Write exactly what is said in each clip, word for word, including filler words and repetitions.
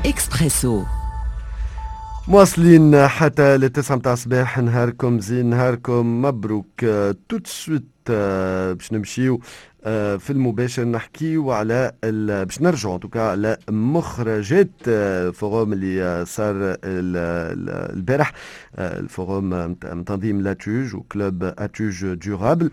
اكسبريسو. مواصلين حتى للتسعة متاع الصباح. نهاركم زين، نهاركم مبروك. tout de suite باش نمشيو آه، في المباشر نحكيو على باش نرجعوا en tout cas على مخرجات forum اللي صار البارح، ال forum من تنظيم l'ATUGE و club ATUGE durable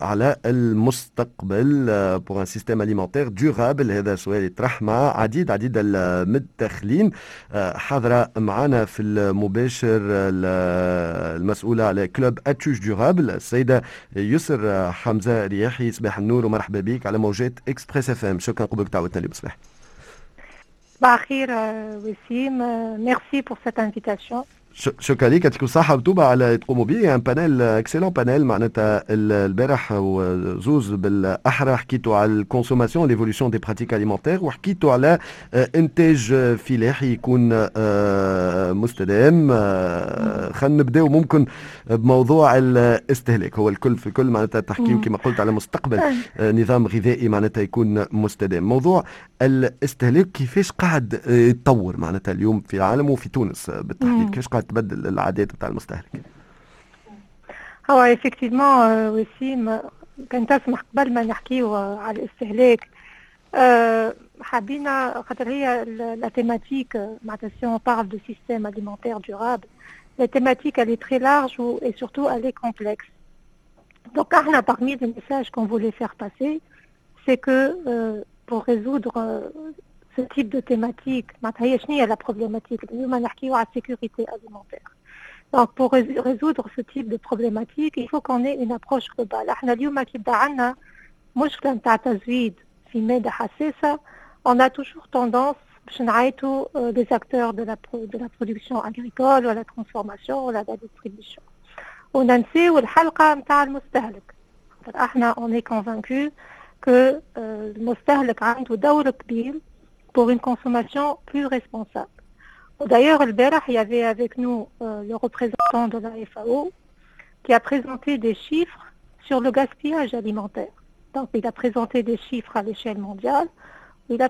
على المستقبل pour un système alimentaire durable. هذا سؤال يطرح مع عديد عديد المتدخلين. آه، حاضره معنا في المباشر المسؤولة على club ATUGE durable، السيدة يسر حمزة رياحي. صباح النور ومرحبا بك على موجات Express FM. شكرا قبولك دعوتنا اليوم صباح. صباح الخير وسيم، merci pour cette invitation. شكرا لك، يعطيكم الصحة وتوبة على تقوموا به. un panel، excellent panel معناتها البارح وزوز بالاحرى، حكيتوا على ال consommation، l'évolution des pratiques alimentaires، وحكيتوا على انتاج فلاحي يكون مستدام. خلينا نبداو ممكن بموضوع الاستهلاك، هو الكل في الكل، معناتها تحكيو كما قلت على مستقبل نظام غذائي معناتها يكون مستدام. موضوع الاستهلاك كيفاش قاعد يتطور معناتها اليوم في العالم وفي تونس بالتحديد؟ كيفاش قاعد تبدل العادات بتاع المستهلك؟ هو effectivement وسيم، كان تسمح قبل ما نحكيو على الاستهلاك أه حبينا خاطر هي la thématique معناتها si on parle de système alimentaire durable، la thématique elle est très large et surtout elle est complexe. Donc احنا parmi les messages qu'on voulait faire passer، c'est que euh, pour résoudre euh, ce type de thématique، معناتها هي شنو هي la problématique؟ اليوم نحكيو على sécurité alimentaire. Donc pour résoudre ce type de problématique، il faut qu'on ait une approche globale. احنا اليوم كي بدا عندنا مشكلة نتاع تزويد في مادة حساسة، on a toujours tendance باش نعيطوا les acteurs de la de la production agricole ولا transformation ولا la distribution، وننسيو الحلقة نتاع المستهلك. احنا on est convaincu que المستهلك عنده دور كبير pour une consommation plus responsable. D'ailleurs، البارح، il y avait avec nous euh, le représentant de la F A O qui a présenté des chiffres sur le gaspillage alimentaire. Donc، il a présenté des chiffres à l'échelle mondiale, il a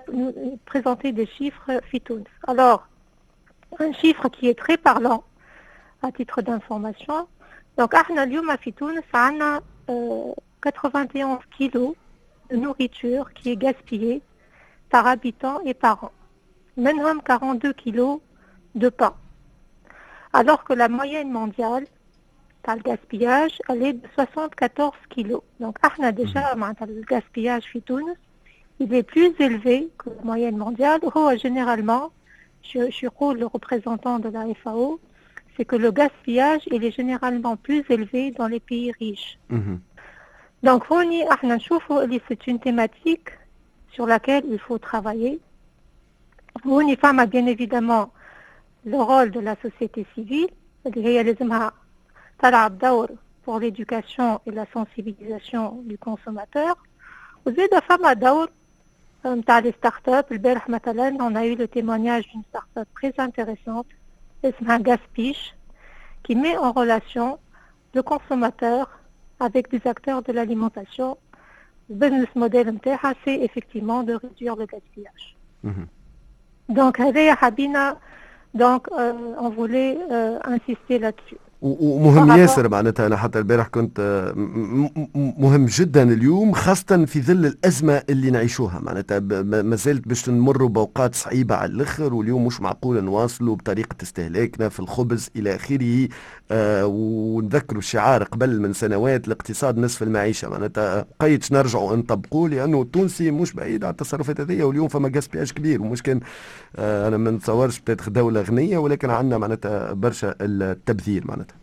présenté des chiffres في تونس. Alors، un chiffre qui est très parlant à titre d'information. Donc، احنا اليوم في تونس عندنا quatre-vingt et onze kilos de nourriture qui est gaspillée par habitant et par an. منهم quarante-deux kilos de pain. Alors que la moyenne mondiale par le gaspillage، elle est de soixante-quatorze kilos. Donc، احنا déjà معناتها le gaspillage في تونس، il est plus élevé que la moyenne mondiale. هو généralement، je, je le représentant de la F A O، c'est que le gaspillage، il est généralement plus élevé dans les pays riches. Mm Donc، هوني احنا نشوفوا اللي c'est une thématique sur laquelle il faut travailler. هوني فما bien évidemment le rôle de la société civile اللي هي لازمها تلعب دور pour l'éducation et la sensibilisation du consommateur. وزيد فما دور نتاع les startups. البارح مثلا on a eu le témoignage d'une startup très intéressante اسمها Gaspiche، qui met en relation le consommateur avec des acteurs de l'alimentation. Le business model نتاعها c'est effectivement de réduire le gaspillage. Donc هذايا حبينا، donc euh, on voulait euh, insister là-dessus. ومهم ياسر معناتها، انا حتى البارح كنت مهم جدا اليوم، خاصة في ظل الأزمة اللي نعيشوها، معناتها ما زالت باش نمروا بأوقات صعيبة على الآخر، واليوم مش معقول نواصلوا بطريقة استهلاكنا في الخبز إلى آخره. آه ونذكروا الشعار قبل من سنوات، الاقتصاد نصف المعيشة، معناتها قيد نرجعوا نطبقوه، لأنه التونسي مش بعيد على التصرفات هذه. واليوم فما gaspillage كبير، ومش كان آه أنا ما نتصورش peut-être دولة غنية، ولكن عندنا معناتها برشا التبذير معناتها.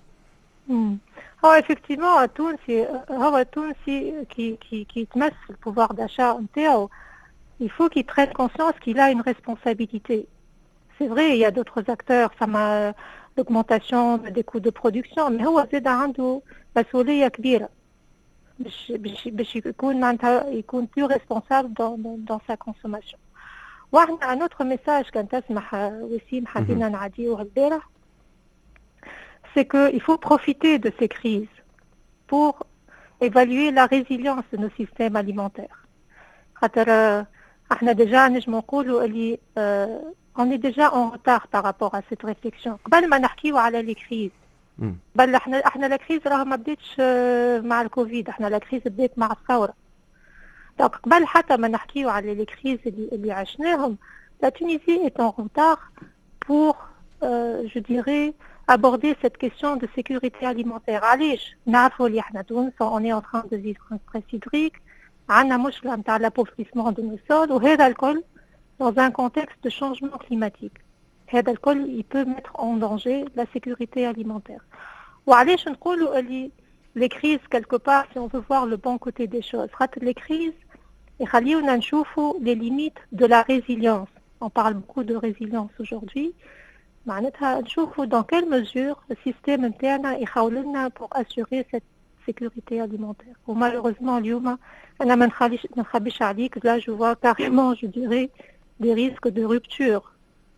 هو effectivement التونسي، هو التونسي كي كي كي تمس ال pouvoir d'achat نتاعو، il faut qu'il prenne conscience qu'il a une responsabilité. C'est vrai، il y a d'autres acteurs، فما l'augmentation des coûts de production، mais هو زاد عنده مسؤولية كبيرة باش باش باش يكون معناتها يكون plus responsable dans, dans, dans sa consommation. وعندنا un autre message كان تسمح وسيم حبينا نعديوه البارح، c'est qu'il faut profiter de ces crises pour évaluer la résilience de nos systèmes alimentaires. خاطر احنا déjà نجمو نقولوا اللي on est déjà en retard par rapport à cette réflexion. قبل ما نحكيو على les crises، بل احنا احنا la crise راه ما بداتش مع الكوفيد، احنا la crise بدات مع الثوره. donc قبل حتى ما نحكيو على les crises اللي, اللي عشناهم، la Tunisie est en retard pour euh, je dirais aborder cette question de sécurité alimentaire. علاش؟ نعرفوا اللي احنا تونس on est en train de vivre un stress hydrique، عندنا مشكلة نتاع l'appauvrissement de nos sols، وهذا الكل dans un contexte de changement climatique. هذا الكل il peut mettre en danger la sécurité alimentaire. وعلاش نقولوا اللي les crises quelque part، si on veut voir le bon côté des choses، خاطر les crises يخليونا نشوفوا les limites de la résilience. On parle beaucoup de résilience aujourd'hui. معناتها نشوفوا dans quelle mesure le système نتاعنا يخول لنا pour assurer cette sécurité alimentaire. و malheureusement اليوم انا ما نخليش ما نخبيش عليك، là je vois carrément، je dirais، des risques de rupture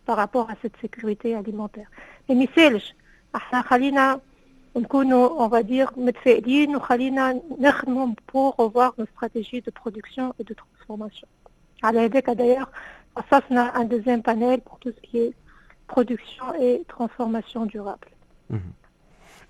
par rapport à cette sécurité alimentaire. Mais ميسالش، احنا خلينا نكونوا on va dire متفائلين وخلينا نخدموا pour revoir nos stratégies de production et de transformation. على هذاك d'ailleurs خصصنا un deuxième panel pour tout ce qui est production et transformation durable.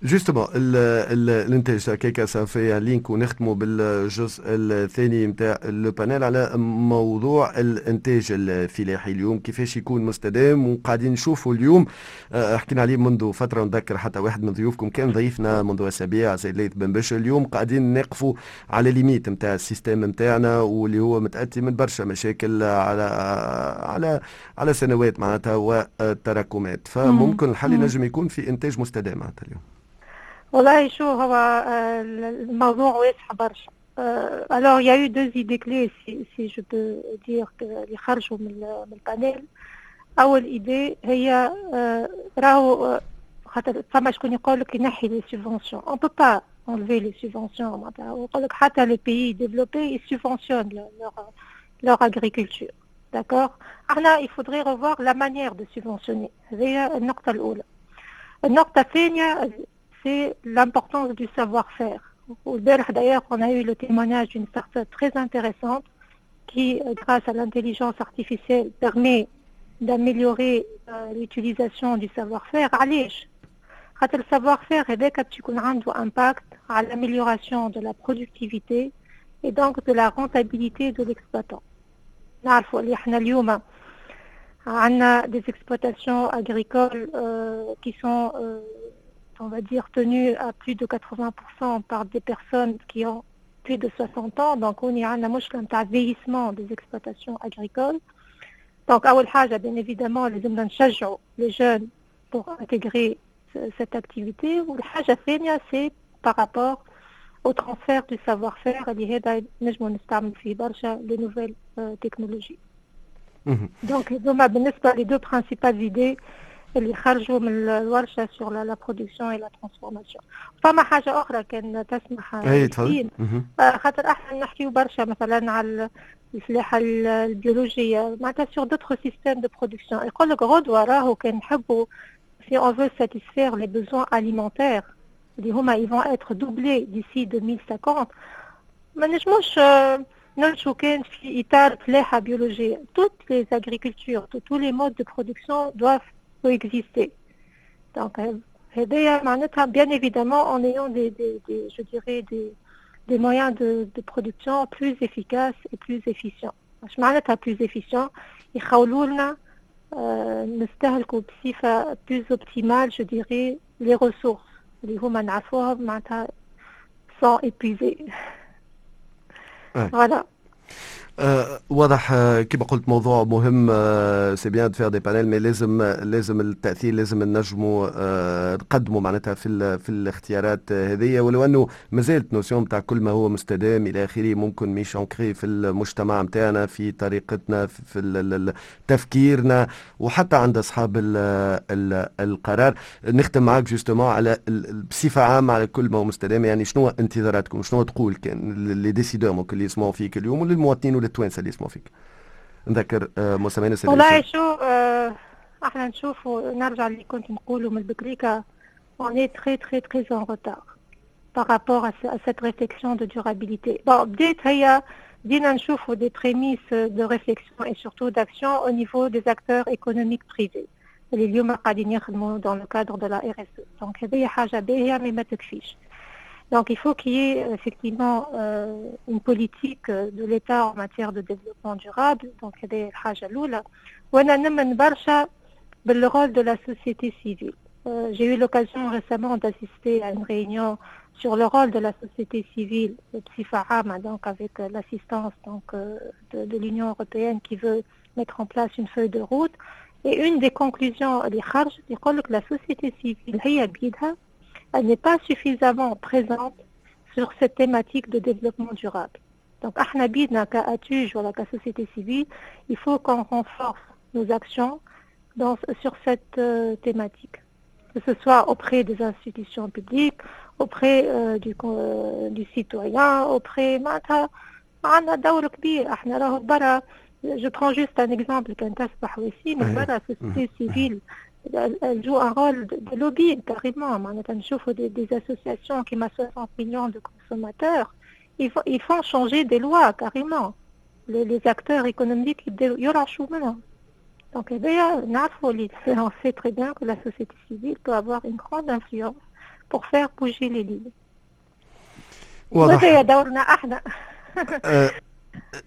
justement الانتاج هكاك ça fait lien ونختموا بالجزء الثاني نتاع ال panel على موضوع الانتاج الفلاحي اليوم كيفاش يكون مستدام. وقاعدين نشوفوا اليوم، آه، حكينا عليه منذ فتره، نذكر حتى واحد من ضيوفكم كان ضيفنا منذ اسابيع، سيد ليث بن بشر. اليوم قاعدين نقفوا على limites نتاع ال système نتاعنا واللي هو متاتي من برشا مشاكل على على على سنوات معناتها وتراكمات، فممكن الحل ينجم يكون في انتاج مستدام معناتها اليوم. والله شو هو الموضوع واسع برشا. alors il y a eu deux idées clés، si, si je peux dire، اللي خرجوا من من ال panel. اول idée هي راهو خاطر فما شكون يقول لك ينحي les subventions. on peut pas enlever les subventions. معناتها ويقول لك حتى les pays développés ils subventionnent leur leur agriculture، d'accord. احنا il faudrait revoir la manière de subventionner. هذه النقطة الأولى. النقطة الثانية c'est l'importance du savoir-faire. والبارح d'ailleurs on a eu le témoignage d'une start-up très intéressante qui, grâce à l'intelligence artificielle, permet d'améliorer euh, l'utilisation du savoir-faire. علاش؟ خاطر ال savoir-faire هذاك باش يكون عنده impact على l'amélioration de la productivité et donc de la rentabilité de l'exploitant. نعرفوا اللي احنا اليوم عندنا des exploitations agricoles euh, qui sont euh, on va dire tenues à plus de quatre-vingts pour cent par des personnes qui ont plus de soixante ans. donc on عندنا مشكلة نتاع vieillissement des exploitations agricoles. donc أول حاجة bien évidemment لازمنا نشجعوا les jeunes pour intégrer cette activité. والحاجة الثانية c'est par rapport au transfert du savoir-faire اللي هذا نجموا نستعمل فيه برشا les nouvelles technologies. donc هذوما بالنسبة les deux principales idées اللي خرجوا من الورشة sur la production et la transformation. فما حاجة أخرى كان تسمح. اي تفضل. خاطر احنا نحكيو برشا مثلا على الفلاحة البيولوجية، معناتها sur d'autres systèmes de production. يقول لك غدوة راهو كان نحبوا، si on veut satisfaire les besoins alimentaires اللي هما ils vont être doublés d'ici deux mille cinquante، ما نجموش نمشوا كان في إطار فلاحة بيولوجية. toutes les agricultures، tous les modes de production doivent coexister. donc هذايا معناتها bien évidemment en ayant des, des, des je dirais des des moyens de, de production plus efficaces et plus efficients. اش معناتها plus efficient؟ يخولوا لنا نستهلكوا بصفة plus optimale، je dirais، les ressources اللي هما نعرفوها معناتها sont épuisées. voilà. أه واضح، أه كما قلت موضوع مهم. c'est bien de faire des panels mais لازم لازم التاثير، لازم نجموا أه نقدموا معناتها في في الاختيارات هذه، ولو انه مازالت notion تاع كل ما هو مستدام الى اخره ممكن مش ancrée في المجتمع نتاعنا، في طريقتنا، في تفكيرنا، وحتى عند اصحاب ال ال القرار. نختم معك justement على بصفة عامة على كل ما هو مستدام، يعني شنو انتظاراتكم؟ شنو تقول كان les décideurs ممكن اللي يسمعوا فيك اليوم وللمواطنين وللتوانسه اللي يسمعوا فيك؟ نذكر مستمعينا. والله شو آه احنا نشوفوا، نرجع اللي كنت نقوله من البكريكا، on est très très très en retard. par rapport à, à cette réflexion de durabilité. Bon, بديت هي بدينا نشوفوا des prémices de réflexion et surtout d'action au niveau des acteurs économiques privés اللي اليوم قاعدين يخدموا dans le cadre de la R S E. Donc هذه حاجة باهية mais ما تكفيش. Donc il faut qu'il y ait effectivement euh, une politique de l'État en matière de développement durable. Donc هذه الحاجة الأولى. وأنا نمن برشا بال rôle de la société civile. Euh, j'ai eu l'occasion récemment d'assister à une réunion sur le rôle de la société civile بصفة عامة, donc avec l'assistance donc de, de l'Union européenne qui veut mettre en place une feuille de route. Et une des conclusions اللي خرجت يقول لك la société civile هي بيدها elle n'est pas suffisamment présente sur cette thématique de développement durable. Donc احنا بيدنا ك ATUGE ولا ك société civile, il faut qu'on renforce nos actions dans, sur cette euh, thématique, que ce soit auprès des institutions publiques, auprès euh, du, euh, du citoyen, auprès معناتها عندنا دور كبير. احنا راهو برا, je prends juste un exemple كان تسمح وسيم, برا société civile elle joue un rôle de, de lobby carrément. معناتها نشوفوا des, des associations كيما soixante millions de consommateurs, ils, font, ils font changer des lois carrément. Les, les acteurs économiques يبداو يرعشوا منهم. Donc هذايا نعرفوا اللي on sait très bien que la société civile peut avoir une grande influence pour faire bouger les lignes. واضح. وهذا دورنا احنا.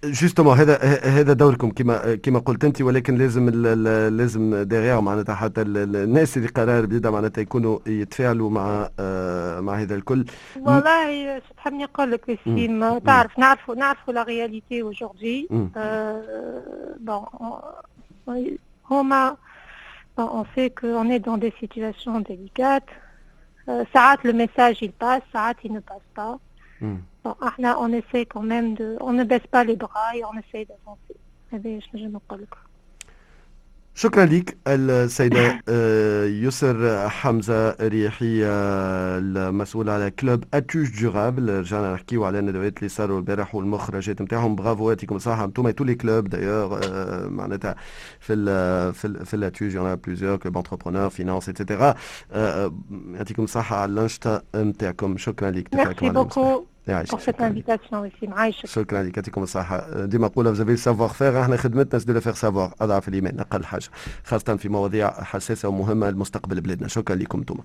Justement, هذا هذا دوركم كما كما قلت انت, ولكن لازم ال لازم derrière معناتها حتى الناس اللي قرار بيدها معناتها يكونوا يتفاعلوا مع مع هذا الكل. والله شو تحبني نقول لك وسيم, تعرف نعرفوا نعرفوا la réalité aujourd'hui. Bon, هما on sait qu'on est dans des situations délicates. ساعات le message il passe, ساعات il ne passe pas. Bon, احنا on essaie quand même de, on ne baisse pas les bras et on essaie d'avancer. هذا ايش نجم نقول لك. شكرا لك السيدة يسر حمزة ريحي, المسؤولة على club ATUGE Durable. رجعنا نحكيو على الندوات اللي صاروا البارح والمخرجات نتاعهم. برافو, يعطيكم الصحة انتم tous les clubs d'ailleurs. معناتها في ال في ال في l'ATUGE y en a plusieurs, club entrepreneur, finance, et cetera. يعطيكم الصحة على الأنشطة نتاعكم. شكرا لك. Merci beaucoup pour cette invitation وسيم, عايشك. شكرا لك, يعطيكم الصحة. ديما نقولها, vous avez le savoir-faire, احنا خدمتنا c'est de le faire savoir, أضعف الإيمان أقل حاجة, خاصة في مواضيع حساسة ومهمة لمستقبل بلادنا. شكرا لكم انتم.